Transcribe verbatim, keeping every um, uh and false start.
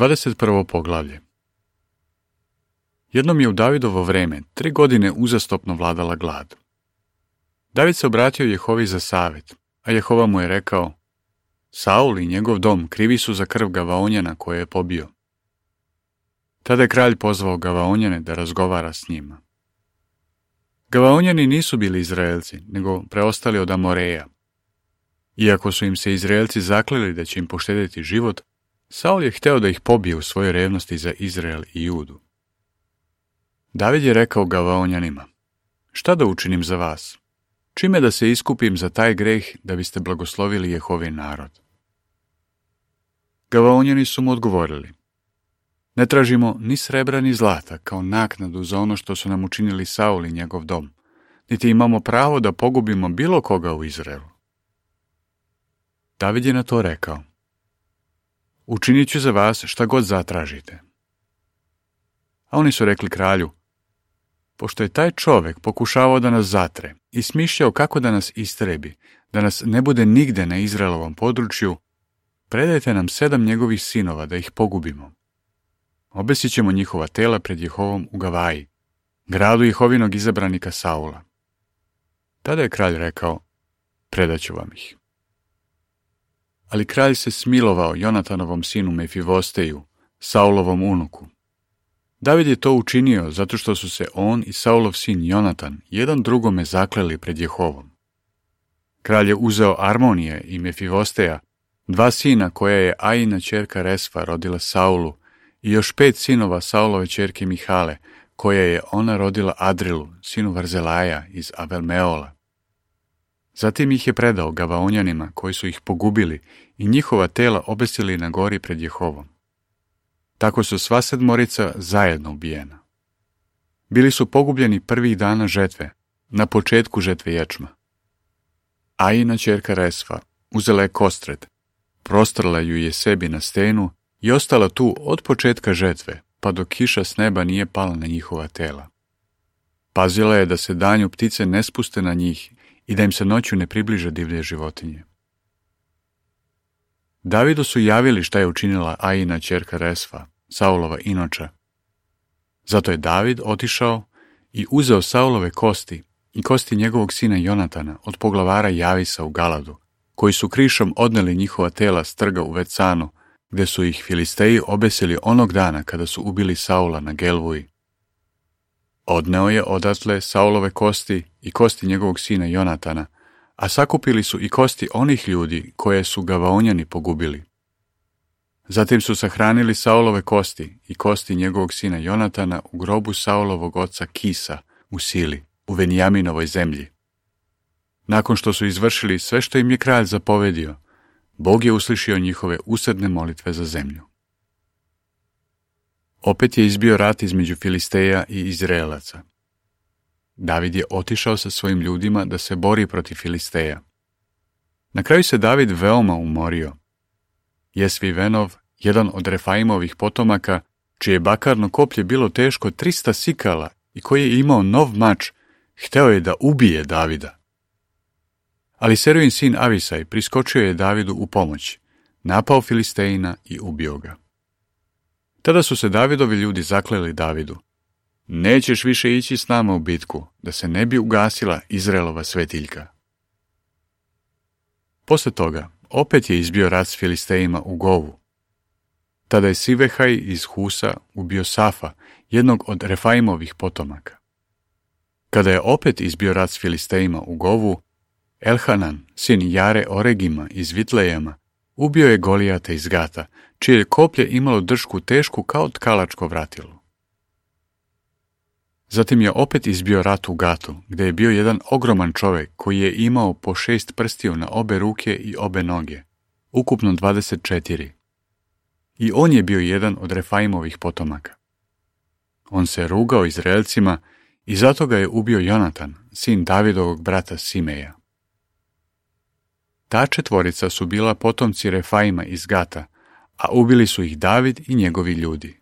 dvadeset prvo poglavlje. Jednom je u Davidovo vreme tri godine uzastopno vladala glad. David se obratio Jehovi za savjet, a Jehova mu je rekao: Saul i njegov dom krivi su za krv Gavaonjana koje je pobio. Tada je kralj pozvao Gavaonjane da razgovara s njima. Gavaonjani nisu bili Izraelci, nego preostali od Amoreja. Iako su im se Izraelci zakleli da će im poštedjeti život, Saul je hteo da ih pobije u svojoj revnosti za Izrael i Judu. David je rekao Gavaonjanima: Šta da učinim za vas? Čime da se iskupim za taj greh da biste blagoslovili Jehovin narod? Gavaonjani su mu odgovorili: Ne tražimo ni srebra ni zlata kao naknadu za ono što su nam učinili Saul i njegov dom, niti imamo pravo da pogubimo bilo koga u Izraelu. David je na to rekao: Učinit ću za vas šta god zatražite. A oni su rekli kralju: Pošto je taj čovjek pokušavao da nas zatre i smišljao kako da nas istrebi, da nas ne bude nigde na Izraelovom području, predajte nam sedam njegovih sinova da ih pogubimo. Obesit ćemo njihova tela pred Jehovom u Gavaji, gradu Jehovinog izabranika Saula. Tada je kralj rekao: Predaću vam ih. Ali kralj se smilovao Jonatanovom sinu Mefivosteju, Saulovom unuku. David je to učinio zato što su se on i Saulov sin Jonatan jedan drugome zakleli pred Jehovom. Kralj je uzeo Armonije i Mefivosteja, dva sina koja je Ajina ćerka Resfa rodila Saulu, i još pet sinova Saulove ćerke Mihale, koja je ona rodila Adrilu, sinu Varzelaja iz Avelmeola. Zatim ih je predao Gavaonjanima koji su ih pogubili i njihova tela obesili na gori pred Jehovom. Tako su sva sedmorica zajedno ubijena. Bili su pogubljeni prvih dana žetve, na početku žetve ječma. Ajina ćerka Resfa uzela je kostret, prostrla ju je sebi na stenu i ostala tu od početka žetve, pa dok kiša s neba nije pala na njihova tela. Pazila je da se danju ptice ne spuste na njih i da im se noću ne približe divlje životinje. Davidu su javili šta je učinila Ajina ćerka Resfa, Saulova inoča. Zato je David otišao i uzeo Saulove kosti i kosti njegovog sina Jonatana od poglavara Javisa u Galadu, koji su krišom odneli njihova tela s trga u Vecanu, gde su ih Filisteji obesili onog dana kada su ubili Saula na Gelvuji. Odneo je odatle Saulove kosti i kosti njegovog sina Jonatana, a sakupili su i kosti onih ljudi koje su Gavaonjani pogubili. Zatim su sahranili Saulove kosti i kosti njegovog sina Jonatana u grobu Saulovog oca Kisa u Sili, u Venjaminovoj zemlji. Nakon što su izvršili sve što im je kralj zapovedio, Bog je uslišio njihove usedne molitve za zemlju. Opet je izbio rat između Filisteja i Izraelaca. David je otišao sa svojim ljudima da se bori protiv Filisteja. Na kraju se David veoma umorio. Jesvivenov, jedan od Refaimovih potomaka, čije bakarno koplje bilo teško trista sikala i koji je imao nov mač, hteo je da ubije Davida. Ali Seruin sin Avisaj priskočio je Davidu u pomoć, napao Filistejina i ubio ga. Tada su se Davidovi ljudi zakleli Davidu: Nećeš više ići s nama u bitku, da se ne bi ugasila Izraelova svetiljka. Posle toga, opet je izbio rat s Filistejima u Govu. Tada je Sivehaj iz Husa ubio Safa, jednog od Refaimovih potomaka. Kada je opet izbio rat s Filistejima u Govu, Elhanan, sin Jare Oregima iz Vitlejama, ubio je Golijata iz Gata, čije je koplje imalo držku tešku kao tkalačko vratilo. Zatim je opet izbio rat u Gatu, gde je bio jedan ogroman čovjek koji je imao po šest prstiju na obe ruke i obe noge, ukupno dvadeset četiri. I on je bio jedan od Refaimovih potomaka. On se rugao Izraelcima i zato ga je ubio Jonatan, sin Davidovog brata Simeja. Ta četvorica su bila potomci Refaima iz Gata, a ubili su ih David i njegovi ljudi.